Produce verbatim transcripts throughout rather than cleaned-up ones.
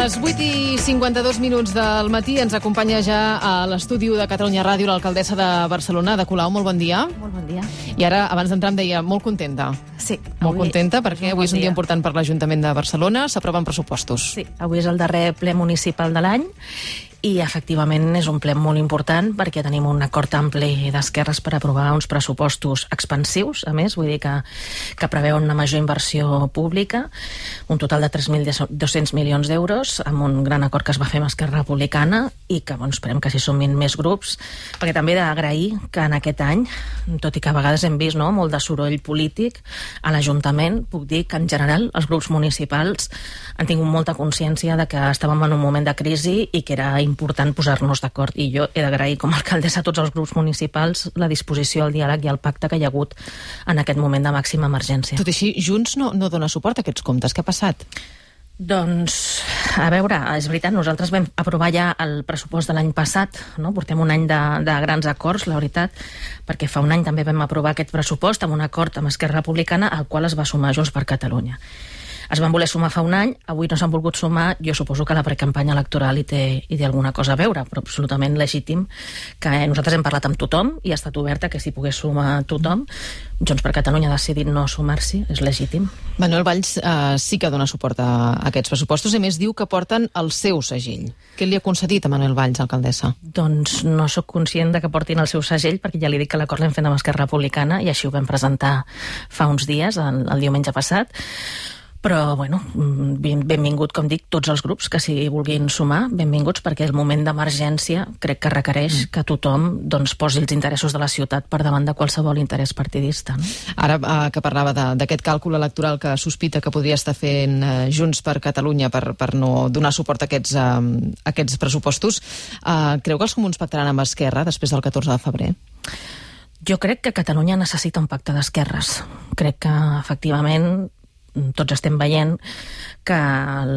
les vuit i cinquanta-dos minuts del matí ens acompanya ja a l'estudi de Catalunya Ràdio l'alcaldessa de Barcelona, Ada Colau. Molt bon dia. Molt bon dia. I ara, abans d'entrar, em deia molt contenta. Sí. Molt contenta perquè és avui és un dia dia important per l'Ajuntament de Barcelona. S'aproven pressupostos. Sí, avui és el darrer ple municipal de l'any i, efectivament, és un ple molt important perquè tenim un acord ampli d'esquerres per aprovar uns pressupostos expansius, a més, vull dir que, que preveuen una major inversió pública, un total de tres mil dos-cents milions d'euros, amb un gran acord que es va fer amb Esquerra Republicana i que, bueno, esperem que s'hi sumin més grups, perquè també he d'agrair que en aquest any, tot i que a vegades hem vist, no, molt de soroll polític a l'Ajuntament, puc dir que en general els grups municipals han tingut molta consciència de que estàvem en un moment de crisi i que era important posar-nos d'acord, i jo he d'agrair com a alcaldessa a tots els grups municipals la disposició al diàleg i al pacte que hi ha hagut en aquest moment de màxima emergència. Tot i així, Junts no, no dona suport a aquests comptes. Què ha passat? Doncs, a veure, és veritat, nosaltres vam aprovar ja el pressupost de l'any passat, no? Portem un any de, de grans acords, la veritat, perquè fa un any també vam aprovar aquest pressupost amb un acord amb Esquerra Republicana al qual es va sumar Junts per Catalunya. Es van voler sumar fa un any, avui no s'han volgut sumar, jo suposo que la precampanya electoral hi té, hi té alguna cosa a veure, però absolutament legítim, que nosaltres hem parlat amb tothom i ha estat oberta que s'hi pogués sumar tothom. Junts per Catalunya ha decidit no sumar-s'hi, és legítim. Manuel Valls eh, sí que dona suport a, a aquests pressupostos i més diu que porten el seu segell. Què li ha concedit a Manuel Valls, alcaldessa? Doncs no sóc conscient de que portin el seu segell, perquè ja li dic que l'acord l'hem fet amb Esquerra Republicana i així ho vam presentar fa uns dies, el, el diumenge passat. Però, bueno, benvingut, com dic, tots els grups que s'hi vulguin sumar, benvinguts, perquè el moment d'emergència crec que requereix mm. que tothom doncs, posi els interessos de la ciutat per davant de qualsevol interès partidista. No? Ara eh, que parlava d'aquest càlcul electoral que sospita que podria estar fent eh, Junts per Catalunya per, per no donar suport a aquests, eh, a aquests pressupostos, eh, creu que els comuns pactaran amb Esquerra després del catorze de febrer? Jo crec que Catalunya necessita un pacte d'esquerres. Crec que, efectivament, tots estem veient que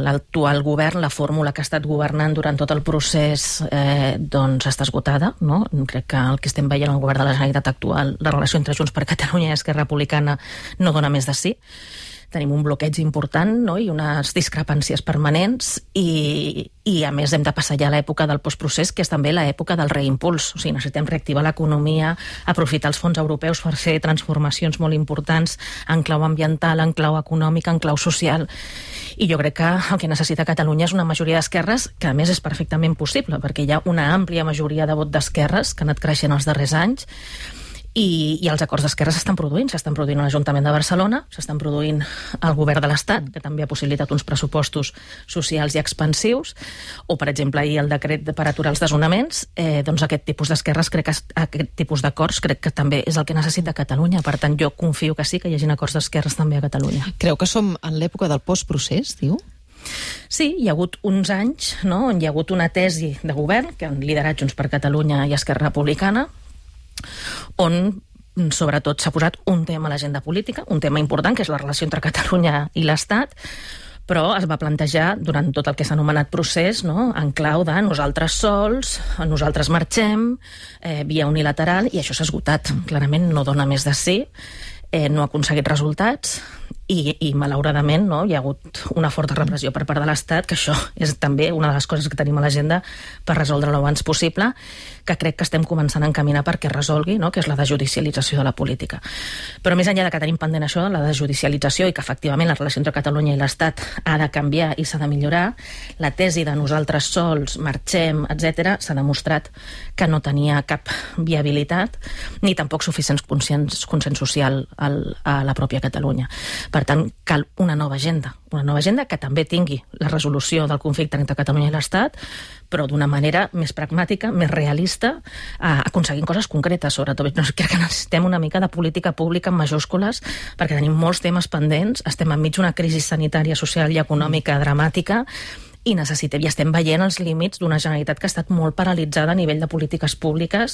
l'actual govern, la fórmula que ha estat governant durant tot el procés, eh, doncs està esgotada, no? Crec que el que estem veient al govern de la Generalitat actual, la relació entre Junts per Catalunya i Esquerra Republicana no dona més de sí. Tenim un bloqueig important, no? I unes discrepàncies permanents i, i a més hem de passar ja a l'època del postprocés, que és també l'època del reimpuls. O sigui, necessitem reactivar l'economia, aprofitar els fons europeus per fer transformacions molt importants en clau ambiental, en clau econòmica, en clau social. I jo crec que el que necessita Catalunya és una majoria d'esquerres, que a més és perfectament possible, perquè hi ha una àmplia majoria de vot d'esquerres que ha anat creixent els darrers anys. I, i els acords d'esquerra s'estan produint, s'estan produint a l'Ajuntament de Barcelona, s'estan produint al govern de l'Estat, que també ha possibilitat uns pressupostos socials i expansius, o, per exemple, ahir el decret per aturar els desnonaments, eh, doncs aquest tipus d'esquerres, crec que aquest tipus d'acords crec que també és el que necessita Catalunya. Per tant, jo confio que sí, que hi hagi acords d'esquerres també a Catalunya. Creu que som en l'època del postprocés, diu? Sí, hi ha hagut uns anys, no?, on hi ha hagut una tesi de govern que han liderat Junts per Catalunya i Esquerra Republicana, on sobretot s'ha posat un tema a l'agenda política, un tema important, que és la relació entre Catalunya i l'Estat, però es va plantejar durant tot el que s'ha anomenat procés, no?, en clau de nosaltres sols, nosaltres marxem, eh, via unilateral, i això s'ha esgotat. Clarament no dona més de sí, eh, no ha aconseguit resultats, i, i malauradament, no, hi ha hagut una forta repressió per part de l'Estat, que això és també una de les coses que tenim a l'agenda per resoldre-ho abans possible, que crec que estem començant a encaminar perquè resolgui, no?, que és la desjudicialització de la política. Però més enllà de que tenim pendent això, la desjudicialització, i que efectivament la relació entre Catalunya i l'Estat ha de canviar i s'ha de millorar, la tesi de nosaltres sols, marxem, etcètera, s'ha demostrat que no tenia cap viabilitat, ni tampoc suficients consens, consens social al, a la pròpia Catalunya. Per tant, cal una nova agenda, una nova agenda que també tingui la resolució del conflicte entre Catalunya i l'Estat, però d'una manera més pragmàtica, més realista, eh, aconseguint coses concretes, sobretot. No, crec que necessitem una mica de política pública en majúscules, perquè tenim molts temes pendents, estem enmig d'una crisi sanitària, social i econòmica dramàtica, i necessitem, i estem veient els límits d'una Generalitat que ha estat molt paralitzada a nivell de polítiques públiques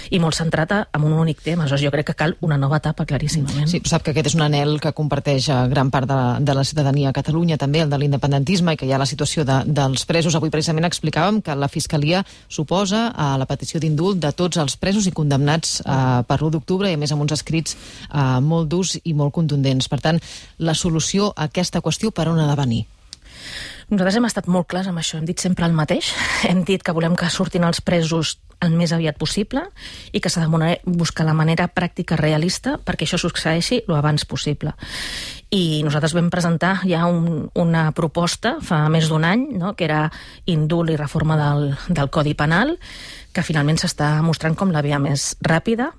i molt centrada en un únic tema. Aleshores, jo crec que cal una nova etapa, claríssimament. Sí, sap que aquest és un anhel que comparteix gran part de la, de la ciutadania a Catalunya, també el de l'independentisme, i que hi ha la situació de, dels presos. Avui precisament explicàvem que la Fiscalia suposa a la petició d'indult de tots els presos i condemnats eh, per l'u d'octubre, i a més amb uns escrits eh, molt durs i molt contundents. Per tant, la solució a aquesta qüestió per on ha de venir? Nosaltres hem estat molt clars amb això, hem dit sempre el mateix, hem dit que volem que surtin els presos el més aviat possible i que s'ha de buscar la manera pràctica realista perquè això succeeixi el abans possible. I nosaltres vam presentar ja un, una proposta fa més d'un any, no?, que era indult i reforma del, del Codi Penal, que finalment s'està mostrant com la via més ràpida.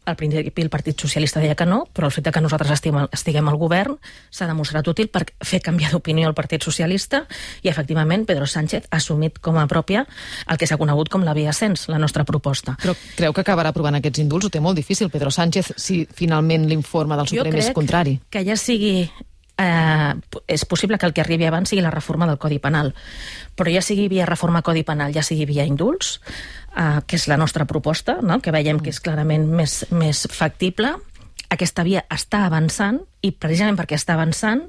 Al principi el Partit Socialista deia que no, però el fet que nosaltres estiguem, estiguem al govern s'ha demostrat útil per fer canviar d'opinió al Partit Socialista i, efectivament, Pedro Sánchez ha assumit com a pròpia el que s'ha conegut com la via ascens, la nostra proposta. Però creu que acabarà aprovant aquests indults? Ho té molt difícil, Pedro Sánchez, si finalment l'informe del Suprem és contrari. Jo crec que ja sigui... Eh, és possible que el que arribi abans sigui la reforma del Codi Penal, però ja sigui via reforma Codi Penal, ja sigui via indults, eh, que és la nostra proposta, no?, que veiem que és clarament més, més factible. Aquesta via està avançant i precisament perquè està avançant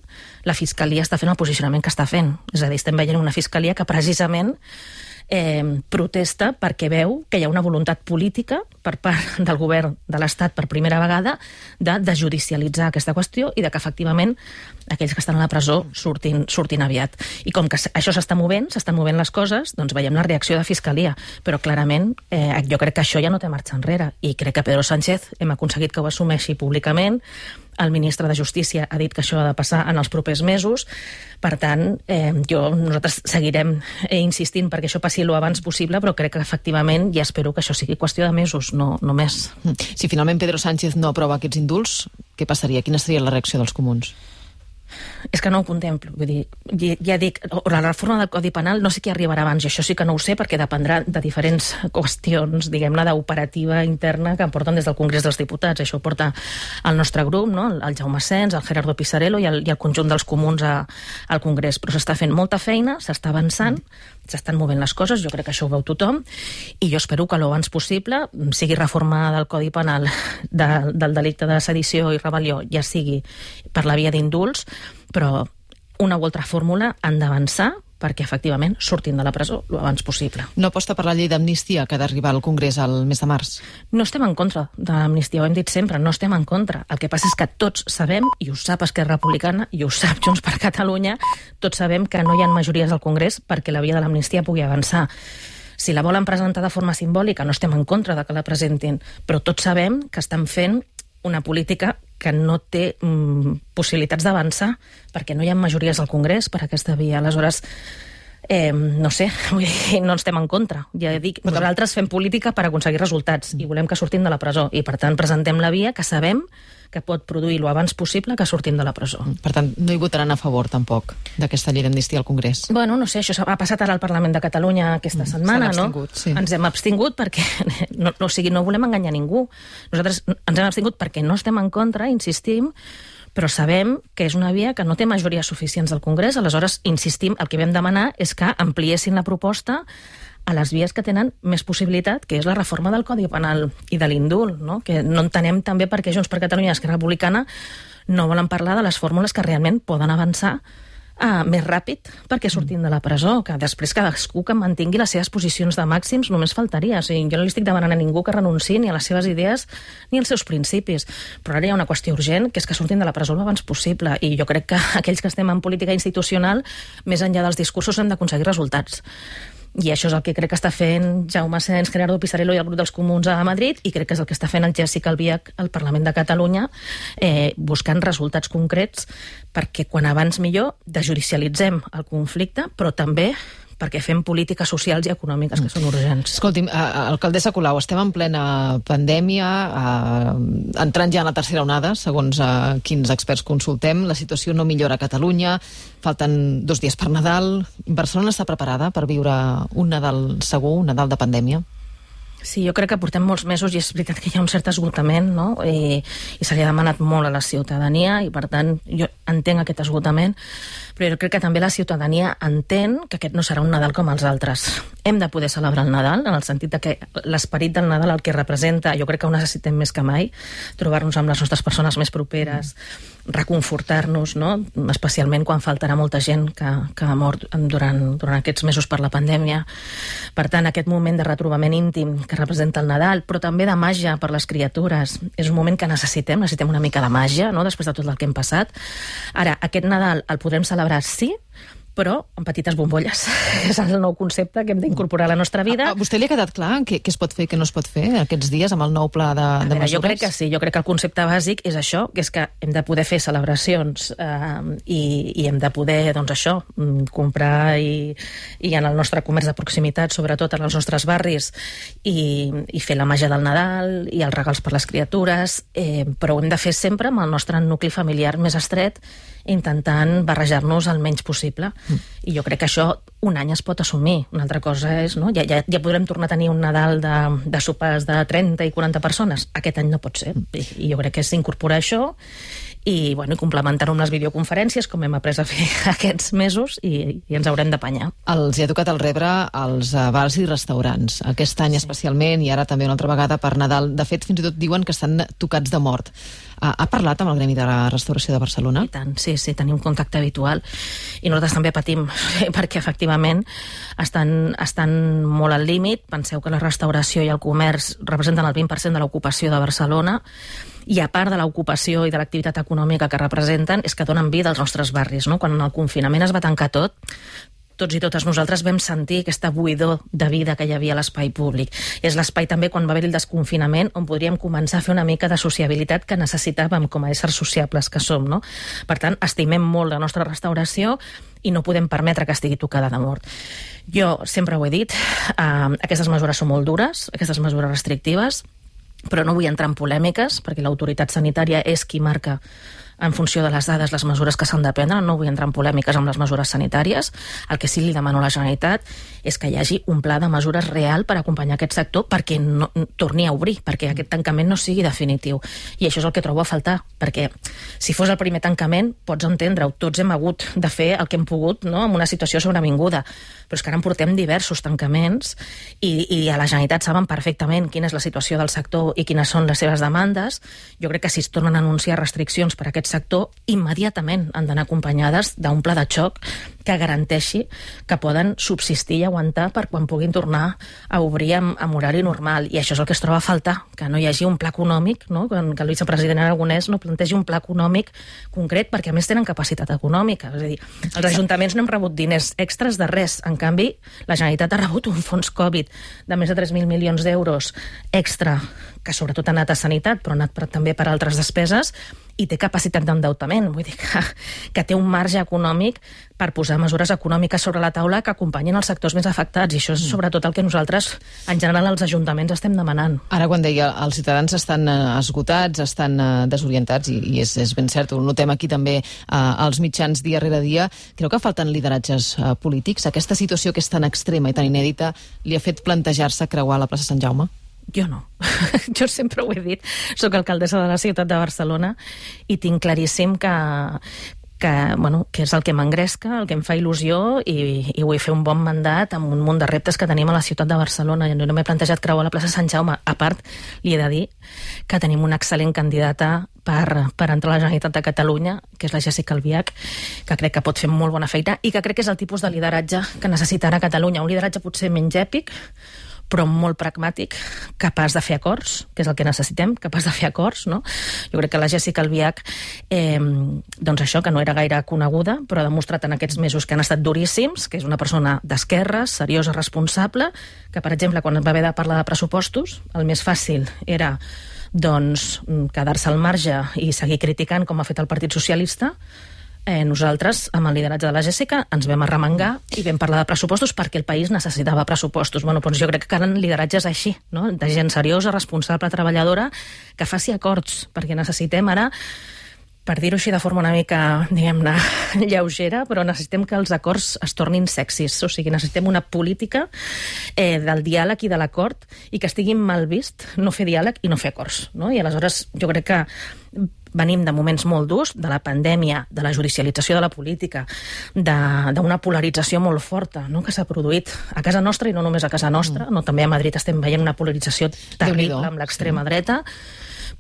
la Fiscalia està fent el posicionament que està fent. És a dir, estem veient una Fiscalia que precisament eh, protesta perquè veu que hi ha una voluntat política per part del govern de l'Estat per primera vegada de desjudicialitzar aquesta qüestió i de que efectivament aquells que estan a la presó surtin, surtin aviat. I com que això s'està movent, s'estan movent les coses, doncs veiem la reacció de Fiscalia. Però clarament eh, jo crec que això ja no té marxa enrere i crec que Pedro Sánchez hem aconseguit que ho assumeixi públicament. El ministre de Justícia ha dit que això ha de passar en els propers mesos. Per tant, eh, jo, nosaltres seguirem eh, insistint perquè això passi lo abans possible, però crec que efectivament ja espero que això sigui qüestió de mesos, no, no més. Si finalment Pedro Sánchez no aprova aquests indults, què passaria? Quina seria la reacció dels comuns? És que no ho contemplo, vull dir, ja dic, la reforma del Codi Penal no sé què arribarà abans, i això sí que no ho sé perquè dependrà de diferents qüestions, diguem-ne, d'operativa interna que porten des del Congrés dels Diputats. Això ho porta el nostre grup, no?, el Jaume Asens, el Gerardo Pisarello i el, i el conjunt dels comuns a, al Congrés. Però s'està fent molta feina, s'està avançant, s'estan movent les coses, jo crec que això ho veu tothom, i jo espero que l'abans possible sigui reforma del Codi Penal de, del delicte de sedició i rebel·lió, ja sigui per la via d'indults, però una o altra fórmula han d'avançar perquè efectivament surtin de la presó l'abans possible. No aposta per la llei d'amnistia que ha d'arribar al Congrés al mes de març? No estem en contra de l'amnistia, ho hem dit sempre, no estem en contra. El que passa és que tots sabem, i ho sap Esquerra Republicana, i ho sap Junts per Catalunya, tots sabem que no hi ha majories al Congrés perquè la via de l'amnistia pugui avançar. Si la volen presentar de forma simbòlica, no estem en contra de que la presentin, però tots sabem que estan fent una política que no té mm, possibilitats d'avançar perquè no hi ha majories al Congrés per aquesta via. Aleshores, eh, no sé, vull dir, no estem en contra. Ja dic, nosaltres fem política per aconseguir resultats i volem que surtin de la presó i, per tant, presentem la via que sabem que pot produir lo abans possible que sortim de la presó. Per tant, no hi votaran a favor, tampoc, d'aquesta llei d'amnistia al Congrés? Bueno, no sé, això ha passat ara al Parlament de Catalunya aquesta setmana, no? Sí. Ens hem abstingut perquè, no, o sigui, no volem enganyar ningú. Nosaltres ens hem abstingut perquè no estem en contra, insistim, però sabem que és una via que no té majories suficients al Congrés, aleshores, insistim, el que vam demanar és que ampliessin la proposta a les vies que tenen més possibilitat, que és la reforma del Codi Penal i de l'indult, no? Que no entenem també per què Junts per Catalunya i Esquerra Republicana no volen parlar de les fórmules que realment poden avançar uh, més ràpid perquè sortim de la presó, que després cadascú que mantingui les seves posicions de màxims només faltaria. O sigui, jo no li estic demanant a ningú que renunciï ni a les seves idees ni als seus principis, però ara hi ha una qüestió urgent, que és que surtin de la presó l'abans possible, i jo crec que aquells que estem en política institucional, més enllà dels discursos, hem d'aconseguir resultats. I això és el que crec que està fent Jaume Asens, Gerardo Pisarello i el grup dels comuns a Madrid, i crec que és el que està fent el Jessica Albiach al Parlament de Catalunya, eh, buscant resultats concrets perquè quan abans millor desjudicialitzem el conflicte, però també perquè fem polítiques socials i econòmiques que són urgents. Escolti'm, alcaldessa Colau, estem en plena pandèmia, eh, entrant ja en la tercera onada, segons eh, quins experts consultem. La situació no millora a Catalunya, falten dos dies per Nadal. Barcelona està preparada per viure un Nadal segur, un Nadal de pandèmia? Sí, jo crec que portem molts mesos i és veritat que hi ha un cert esgotament, no? I, i se li ha demanat molt a la ciutadania i, per tant, jo entenc aquest esgotament, però jo crec que també la ciutadania entén que aquest no serà un Nadal com els altres. Hem de poder celebrar el Nadal, en el sentit de que l'esperit del Nadal, el que representa, jo crec que ho necessitem més que mai, trobar-nos amb les nostres persones més properes, reconfortar-nos, no? Especialment quan faltarà molta gent que, que ha mort durant, durant aquests mesos per la pandèmia. Per tant, aquest moment de retrobament íntim que representa el Nadal, però també de màgia per les criatures, és un moment que necessitem, necessitem una mica de màgia, no?, després de tot el que hem passat. Ara, aquest Nadal el podrem celebrar, sí, però en petites bombolles. És el nou concepte que hem d'incorporar a la nostra vida. A, a vostè li ha quedat clar què, què es pot fer i què no es pot fer aquests dies amb el nou pla de, de veure, mesures? Jo crec que sí, jo crec que el concepte bàsic és això, que és que hem de poder fer celebracions eh, i, i hem de poder, doncs això, comprar i, i en el nostre comerç de proximitat, sobretot en els nostres barris, i, i fer la màgia del Nadal i els regals per les criatures, eh, però ho hem de fer sempre amb el nostre nucli familiar més estret, intentant barrejar-nos el menys possible. Mm. I jo crec que això un any es pot assumir. Una altra cosa és, no? Ja, ja, ja podrem tornar a tenir un Nadal de, de sopars de trenta i quaranta persones. Aquest any no pot ser. Mm. I, i jo crec que és incorporar això i, bueno, i complementar-ho amb les videoconferències, com hem après a fer aquests mesos, i, i ens haurem d'apanyar. Els hi ha tocat el rebre als bars i restaurants, aquest any sí. especialment, i ara també una altra vegada per Nadal. De fet, fins i tot diuen que estan tocats de mort. Ha, ha parlat amb el Gremi de la Restauració de Barcelona? I tant, sí, sí, tenim contacte habitual. I nosaltres també patim, perquè efectivament estan, estan molt al límit. Penseu que la restauració i el comerç representen el vint per cent de l'ocupació de Barcelona, i a part de l'ocupació i de l'activitat econòmica que representen, és que donen vida als nostres barris, no? Quan en el confinament es va tancar tot, tots i totes nosaltres vam sentir aquesta buidor de vida que hi havia a l'espai públic. És l'espai també, quan va haver-hi el desconfinament, on podríem començar a fer una mica de sociabilitat que necessitàvem com a éssers sociables que som, no? Per tant, estimem molt la nostra restauració i no podem permetre que estigui tocada de mort. Jo sempre ho he dit, eh, aquestes mesures són molt dures, aquestes mesures restrictives, però no vull entrar en polèmiques, perquè l'autoritat sanitària és qui marca en funció de les dades les mesures que s'han de prendre. No vull entrar en polèmiques amb les mesures sanitàries. El que sí li demano a la Generalitat és que hi hagi un pla de mesures real per acompanyar aquest sector perquè no, torni a obrir, perquè aquest tancament no sigui definitiu. I això és el que trobo a faltar, perquè si fos el primer tancament, pots entendre-ho, tots hem hagut de fer el que hem pogut, no?, en una situació sobrevinguda, però és que ara en portem diversos tancaments i, i a la Generalitat saben perfectament quina és la situació del sector i quines són les seves demandes. Jo crec que si es tornen a anunciar restriccions per a aquest sector, immediatament han d'anar acompanyades d'un pla de xoc que garanteixi que poden subsistir i aguantar per quan puguin tornar a obrir amb, amb horari normal. I això és el que es troba a faltar, que no hi hagi un pla econòmic, no?, que el vicepresident Aragonès no plantegi un pla econòmic concret, perquè a més tenen capacitat econòmica. És a dir, els ajuntaments no hem rebut diners extras de res. En canvi, la Generalitat ha rebut un fons Covid de més de tres mil milions d'euros extra, que sobretot ha anat a sanitat, però ha anat per, també per altres despeses, i té capacitat d'endeutament. Vull dir que, que té un marge econòmic per posar mesures econòmiques sobre la taula que acompanyin els sectors més afectats, i això és sobretot el que nosaltres, en general, els ajuntaments estem demanant. Ara, quan deia els ciutadans estan esgotats, estan desorientats, i, i és, és ben cert, ho notem aquí també eh, als mitjans dia rere dia, creu que falten lideratges eh, polítics? Aquesta situació que és tan extrema i tan inèdita li ha fet plantejar-se creuar la plaça Sant Jaume? Jo no. Jo sempre ho he dit. Soc alcaldessa de la ciutat de Barcelona i tinc claríssim que, que, bueno, que és el que m'engresca, el que em fa il·lusió, i, i vull fer un bon mandat amb un munt de reptes que tenim a la ciutat de Barcelona. Jo no m'he plantejat creuar la plaça Sant Jaume. A part, li he de dir que tenim una excel·lent candidata per, per entrar a la Generalitat de Catalunya, que és la Jéssica Albiach, que crec que pot fer molt bona feina i que crec que és el tipus de lideratge que necessitarà Catalunya. Un lideratge potser menys èpic, però molt pragmàtic, capaç de fer acords, que és el que necessitem, capaç de fer acords, no? Jo crec que la Jéssica Albiach, eh, doncs això, que no era gaire coneguda, però ha demostrat en aquests mesos que han estat duríssims, que és una persona d'esquerres, seriosa, responsable, que, per exemple, quan va haver de parlar de pressupostos, el més fàcil era, doncs, quedar-se al marge i seguir criticant, com ha fet el Partit Socialista. Eh, nosaltres, amb el lideratge de la Jèssica, ens vam arremangar i vam parlar de pressupostos perquè el país necessitava pressupostos. Bueno, doncs jo crec que calen lideratges així, no?, de gent seriosa, responsable, treballadora, que faci acords, perquè necessitem ara, per dir-ho així de forma una mica, diguem-ne, lleugera, però necessitem que els acords es tornin sexis. O sigui, necessitem una política eh, del diàleg i de l'acord, i que estigui mal vist no fer diàleg i no fer acords, no? I aleshores jo crec que venim de moments molt durs, de la pandèmia, de la judicialització de la política, d'una polarització molt forta, no?, que s'ha produït a casa nostra, i no només a casa nostra, no? També a Madrid estem veient una polarització terrible amb l'extrema dreta.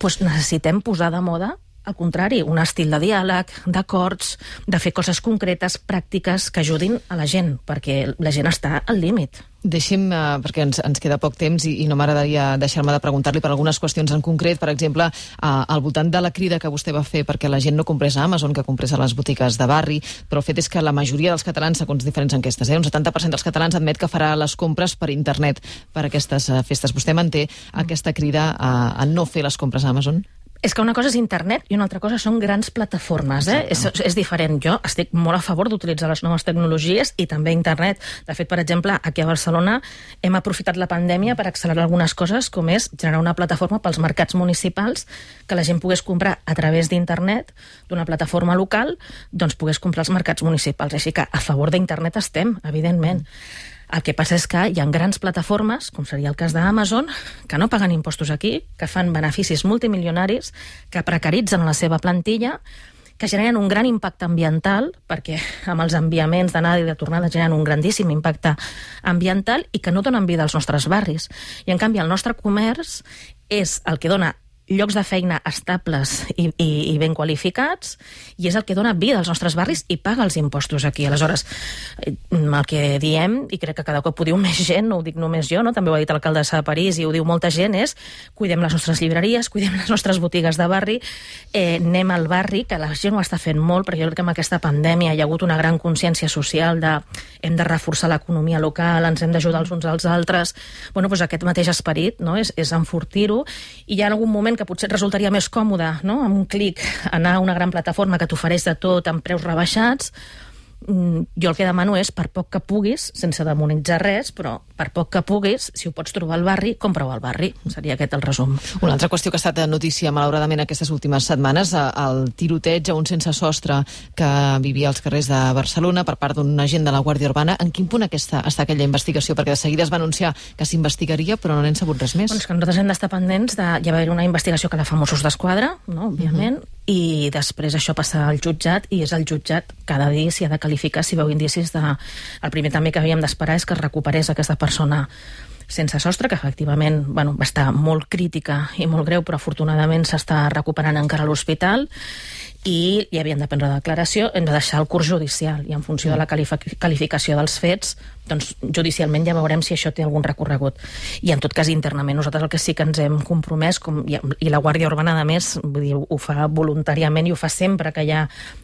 Pues necessitem posar de moda, al contrari, un estil de diàleg, d'acords, de fer coses concretes, pràctiques, que ajudin a la gent, perquè la gent està al límit. Deixi'm, uh, perquè ens, ens queda poc temps i, i no m'agradaria deixar-me de preguntar-li per algunes qüestions en concret, per exemple, uh, al voltant de la crida que vostè va fer perquè la gent no comprés a Amazon, que comprés a les botigues de barri, però el fet és que la majoria dels catalans, segons diferents enquestes, eh, un setanta per cent dels catalans admet que farà les compres per internet per aquestes uh, festes. Vostè manté aquesta crida a, a no fer les compres a Amazon? És que una cosa és internet i una altra cosa són grans plataformes. Eh? És, és diferent. Jo estic molt a favor d'utilitzar les noves tecnologies i també internet. De fet, per exemple, aquí a Barcelona hem aprofitat la pandèmia per accelerar algunes coses, com és generar una plataforma pels mercats municipals que la gent pogués comprar a través d'internet, d'una plataforma local, doncs pogués comprar als mercats municipals. Així que a favor d'internet estem, evidentment. El que passa és que hi ha grans plataformes, com seria el cas d'Amazon, que no paguen impostos aquí, que fan beneficis multimilionaris, que precaritzen la seva plantilla, que generen un gran impacte ambiental, perquè amb els enviaments d'anada i de tornada generen un grandíssim impacte ambiental i que no donen vida als nostres barris. I en canvi el nostre comerç és el que dona llocs de feina estables i, i, i ben qualificats, i és el que dona vida als nostres barris i paga els impostos aquí. Aleshores, el que diem, i crec que cada cop ho diu més gent, no ho dic només jo, no? També ho ha dit l'alcaldessa de París i ho diu molta gent, és cuidem les nostres llibreries, cuidem les nostres botigues de barri, eh, anem al barri, que la gent ho està fent molt, perquè jo crec que amb aquesta pandèmia hi ha hagut una gran consciència social de hem de reforçar l'economia local, ens hem d'ajudar els uns als altres. Bueno, doncs aquest mateix esperit, no? és, és enfortir-ho, i hi ha algun moment que potser et resultaria més còmode, no? Amb un clic anar a una gran plataforma que t'ofereix de tot amb preus rebaixats. Jo el que demano és, per poc que puguis, sense demonitzar res, però per poc que puguis, si ho pots trobar al barri, compra-ho al barri. Seria aquest el resum. Una altra qüestió que ha estat notícia, malauradament, aquestes últimes setmanes, el tiroteig a un sense sostre que vivia als carrers de Barcelona per part d'un agent de la Guàrdia Urbana. En quin punt aquesta, està aquella investigació? Perquè de seguida es va anunciar que s'investigaria, però no n'hem sabut res més. Doncs que nosaltres hem d'estar pendents de... Hi va haver una investigació que la fa Mossos d'Esquadra, no? Òbviament, uh-huh. I després això passa al jutjat, i és el jutjat cada dia si ha de qualificar, si veu indicis de... El primer també que havíem d'esperar és que es recuperés aquesta persona sense sostre, que efectivament bueno, va estar molt crítica i molt greu, però afortunadament s'està recuperant encara a l'hospital, i hi havien de prendre declaració, hem de deixar el curs judicial, i en funció de la qualificació dels fets, doncs judicialment ja veurem si això té algun recorregut. I en tot cas internament nosaltres el que sí que ens hem compromès, com, i la Guàrdia Urbana a més vull dir, ho fa voluntàriament i ho fa sempre que hi ha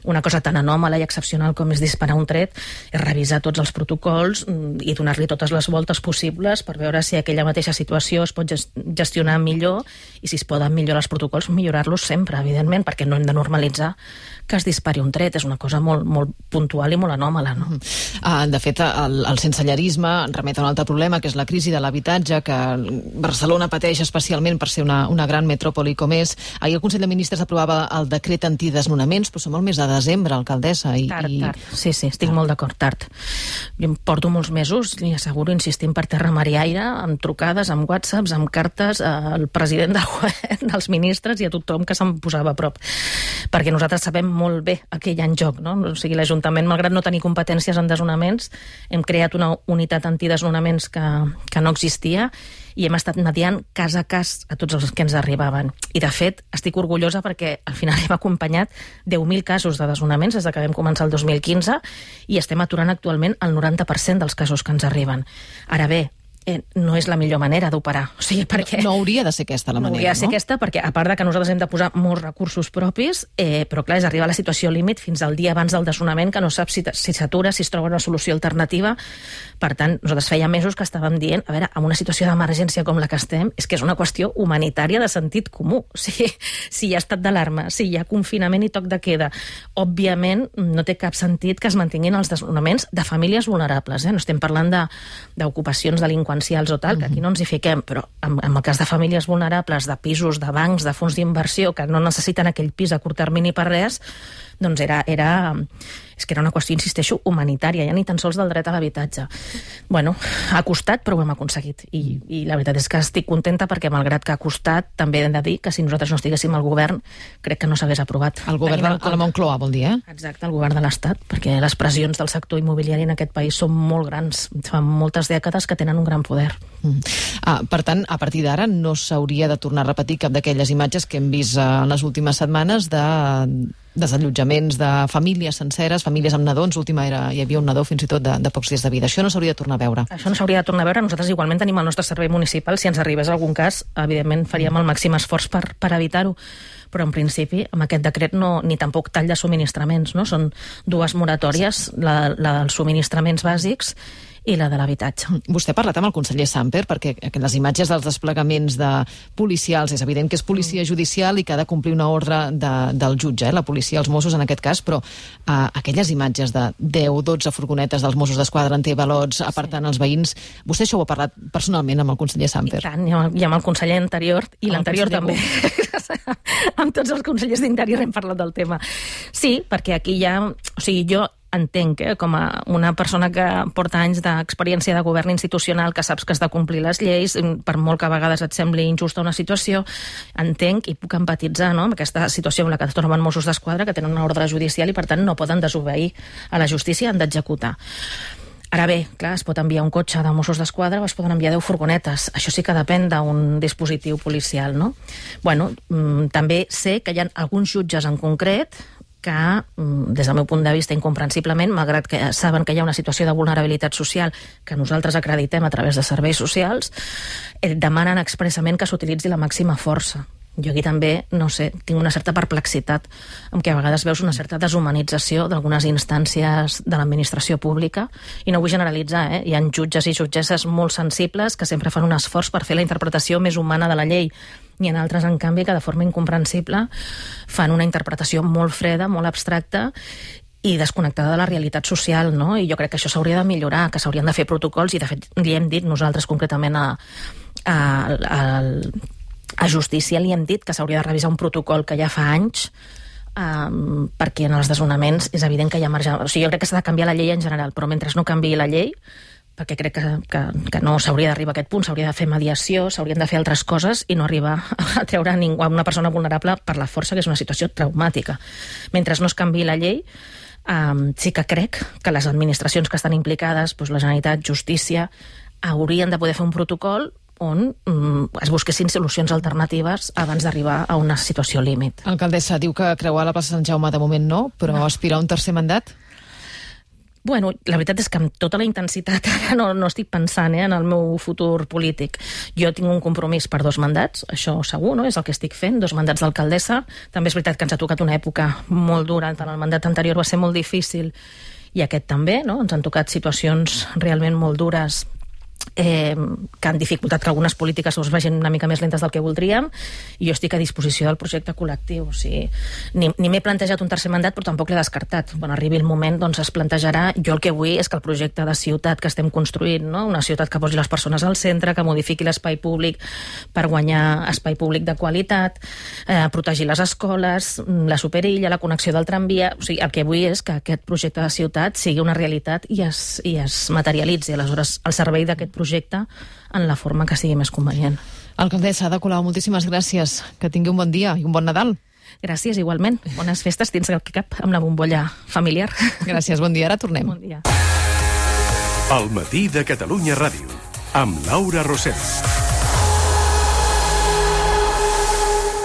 una cosa tan anòmala i excepcional com és disparar un tret, és revisar tots els protocols i donar-li totes les voltes possibles per veure si aquella mateixa situació es pot gestionar millor, i si es poden millorar els protocols, millorar-los sempre, evidentment, perquè no hem de normalitzar que es dispari un tret, és una cosa molt, molt puntual i molt anòmala, no? Uh, de fet, el, el sensellarisme remet a un altre problema, que és la crisi de l'habitatge, que Barcelona pateix especialment per ser una, una gran metròpoli com és. Ahir el Consell de Ministres aprovava el decret antidesnonaments, però som al mes de desembre, alcaldessa. I, tard, i... tard. Sí, sí, estic tard. molt d'acord, tard. Jo em porto molts mesos, li asseguro, insistint per terra mar i aire, amb trucades, amb whatsapps, amb cartes al president del govern, als ministres i a tothom que se'm posava a prop. Perquè nosaltres sabem molt bé el que hi ha en joc, no? O sigui, l'Ajuntament, malgrat no tenir competències en desnonaments, hem creat una unitat antidesnonaments que, que no existia, i hem estat mediant cas a cas a tots els que ens arribaven. I, de fet, estic orgullosa perquè al final hem acompanyat deu mil casos de desnonaments des que vam començar el dos mil quinze, i estem aturant actualment el noranta per cent dels casos que ens arriben. Ara bé, Eh, no és la millor manera d'operar. O sigui, perquè... No, no hauria de ser aquesta la manera, no? No hauria de ser no? aquesta, perquè a part de que nosaltres hem de posar molts recursos propis, eh, però clar, és arribar a la situació límit fins al dia abans del desnonament, que no sap si, si s'atura, si es troba una solució alternativa. Per tant, nosaltres feia mesos que estàvem dient, a veure, en una situació d'emergència com la que estem, és que és una qüestió humanitària de sentit comú. O sigui, si hi ha estat d'alarma, si hi ha confinament i toc de queda, òbviament no té cap sentit que es mantinguin els desnonaments de famílies vulnerables. Eh? No estem parlant de, d'ocupacions delinqüencials o tal, que aquí no ens hi fiquem, però en, en el cas de famílies vulnerables, de pisos, de bancs, de fons d'inversió, que no necessiten aquell pis a curt termini per res, doncs era, era, és que era una qüestió, insisteixo, humanitària, ja ni tan sols del dret a l'habitatge. Bueno, ha costat, però ho hem aconseguit. I, i la veritat és que estic contenta perquè, malgrat que ha costat, també hem de dir que si nosaltres no estiguéssim al govern, crec que no s'hagués aprovat. El govern de, a la Moncloa, vol dir, eh? Exacte, el govern de l'Estat, perquè les pressions del sector immobiliari en aquest país són molt grans. Fa moltes dècades que tenen un gran poder. Mm. Ah, per tant, a partir d'ara no s'hauria de tornar a repetir cap d'aquelles imatges que hem vist en les últimes setmanes de desallotjaments de famílies senceres, famílies amb nadons, l'última era, hi havia un nadó fins i tot de, de pocs dies de vida. Això no s'hauria de tornar a veure. Això no s'hauria de tornar a veure. Nosaltres igualment tenim el nostre servei municipal. Si ens arribés algun cas, evidentment faríem el màxim esforç per, per evitar-ho. Però en principi amb aquest decret no, ni tampoc tall de subministraments, no? Són dues moratòries, la, la dels subministraments bàsics i la de l'habitatge. Vostè ha parlat amb el conseller Samper, perquè les imatges dels desplegaments de policials, és evident que és policia judicial i que ha de complir una ordre de, del jutge, eh? La policia, els Mossos en aquest cas, però eh, aquelles imatges de deu o dotze furgonetes dels Mossos d'Esquadra en té-balots apartant sí. els veïns, vostè això ho ha parlat personalment amb el conseller Samper? I tant, i amb, i amb el conseller anterior, i l'anterior també. Amb tots els consellers d'Interior hem parlat del tema. Sí, perquè aquí hi ha... O sigui, jo entenc, eh, com a una persona que porta anys d'experiència de govern institucional, que saps que has de complir les lleis, per molt que a vegades et sembli injusta una situació, entenc i puc empatitzar, no?, amb aquesta situació en la que es troben Mossos d'Esquadra, que tenen una ordre judicial i, per tant, no poden desobeir a la justícia, han d'executar. Ara bé, clar, es pot enviar un cotxe de Mossos d'Esquadra o es poden enviar deu furgonetes. Això sí que depèn d'un dispositiu policial, no? Bueno, també sé que hi ha alguns jutges en concret que, des del meu punt de vista, incomprensiblement, malgrat que saben que hi ha una situació de vulnerabilitat social que nosaltres acreditem a través de serveis socials, eh, demanen expressament que s'utilitzi la màxima força. Jo aquí també, no sé, tinc una certa perplexitat amb què a vegades veus una certa deshumanització d'algunes instàncies de l'administració pública, i no vull generalitzar, eh? Hi ha jutges i jutgesses molt sensibles que sempre fan un esforç per fer la interpretació més humana de la llei, i en altres, en canvi, que de forma incomprensible fan una interpretació molt freda, molt abstracta i desconnectada de la realitat social, no? I jo crec que això s'hauria de millorar, que s'haurien de fer protocols, i de fet li hem dit nosaltres concretament a, a, a, a Justícia, li hem dit que s'hauria de revisar un protocol que ja fa anys, um, perquè en els desnonaments és evident que hi ha marge... O sigui, jo crec que s'ha de canviar la llei en general, però mentre no canviï la llei, perquè crec que, que, que no s'hauria d'arribar a aquest punt, s'hauria de fer mediació, s'haurien de fer altres coses i no arribar a treure ningú, a una persona vulnerable per la força, que és una situació traumàtica. Mentre no es canviï la llei, um, sí que crec que les administracions que estan implicades, doncs la Generalitat, Justícia, haurien de poder fer un protocol on um, es busquessin solucions alternatives abans d'arribar a una situació límit. Alcaldessa, diu que creuar la plaça Sant Jaume de moment no, però no. Aspirar a un tercer mandat? Bueno, la veritat és que amb tota la intensitat ara no, no estic pensant eh, en el meu futur polític. Jo tinc un compromís per dos mandats, això segur, no? És el que estic fent, dos mandats d'alcaldessa. També és veritat que ens ha tocat una època molt dura, tant el mandat anterior va ser molt difícil i aquest també, no? Ens han tocat situacions realment molt dures, Eh, que han dificultat que algunes polítiques us vagin una mica més lentes del que voldríem, i jo estic a disposició del projecte col·lectiu. O sigui, ni, ni m'he plantejat un tercer mandat, però tampoc l'he descartat. Quan arribi el moment, doncs es plantejarà. Jo el que vull és que el projecte de ciutat que estem construint, no? Una ciutat que posi les persones al centre, que modifiqui l'espai públic per guanyar espai públic de qualitat, eh, protegir les escoles, la superilla, la connexió del tramvia. O sigui, el que vull és que aquest projecte de ciutat sigui una realitat i es, i es materialitzi, aleshores, al servei d'aquest projecte en la forma que sigui més convenient. Alcaldessa Ada Colau, moltíssimes gràcies. Que tingui un bon dia i un bon Nadal. Gràcies, igualment. Bones festes dins el que cap amb la bombolla familiar. Gràcies, bon dia. Ara tornem. Bon dia. El matí de Catalunya Ràdio, amb Laura Rosel.